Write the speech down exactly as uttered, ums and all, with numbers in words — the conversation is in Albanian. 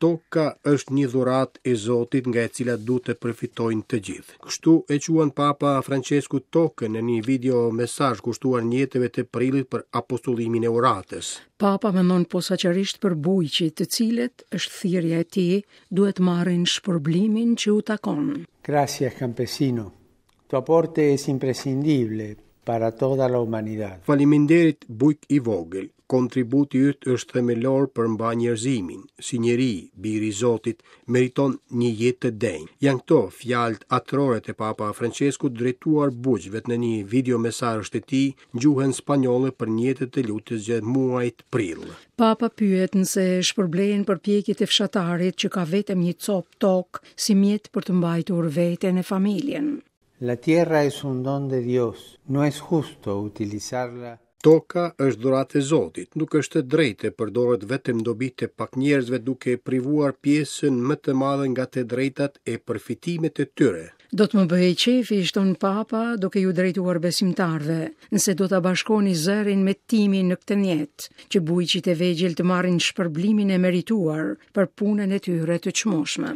Toka është një dhuratë e Zotit nga e cila duhet të përfitojnë të gjithë. Kështu e quan Papa Francesku tokën në një video mesazh kushtuar njeteve të prillit për apostullimin e uratës. Papa mendon posaçërisht për bujqit, të cilët është thirrja e tij, duhet marrin shpërblimin që u takon. Gracias, campesino. Tu aporte es imprescindible para toda la humanidad. Faleminderit, bujk i vogël. Kontributi yt është themelor për mbarë njerëzimin. Si njeri, biri i Zotit, meriton një jetë të denjë. Janë këto fjalët atërore të Papa Francesku drejtuar bujqve në një video mesazh të tij në gjuhën spanjolle për njetet të lutjes gjatë muajit prill. Papa pyet nëse shpërblehen përpjekjet e fshatarit që ka vetëm një copë tokë si mjet për të mbajtur veten e familjen. La tierra es un don de Dios. No es justo utilizarla. Toka është dhuratë e Zotit, nuk është e drejtë të përdoret vetëm dobi të pak njerëzve duke privuar pjesën më të madhe nga të drejtat e përfitimet e tyre. Do të më bëhej qefi, shton Papa, duke ju drejtuar besimtarëve, nëse do ta bashkoni zërin me timin në këtë njet, që bujqit e vegjël të marrin shpërblimin e merituar për punën e tyre të çmueshme.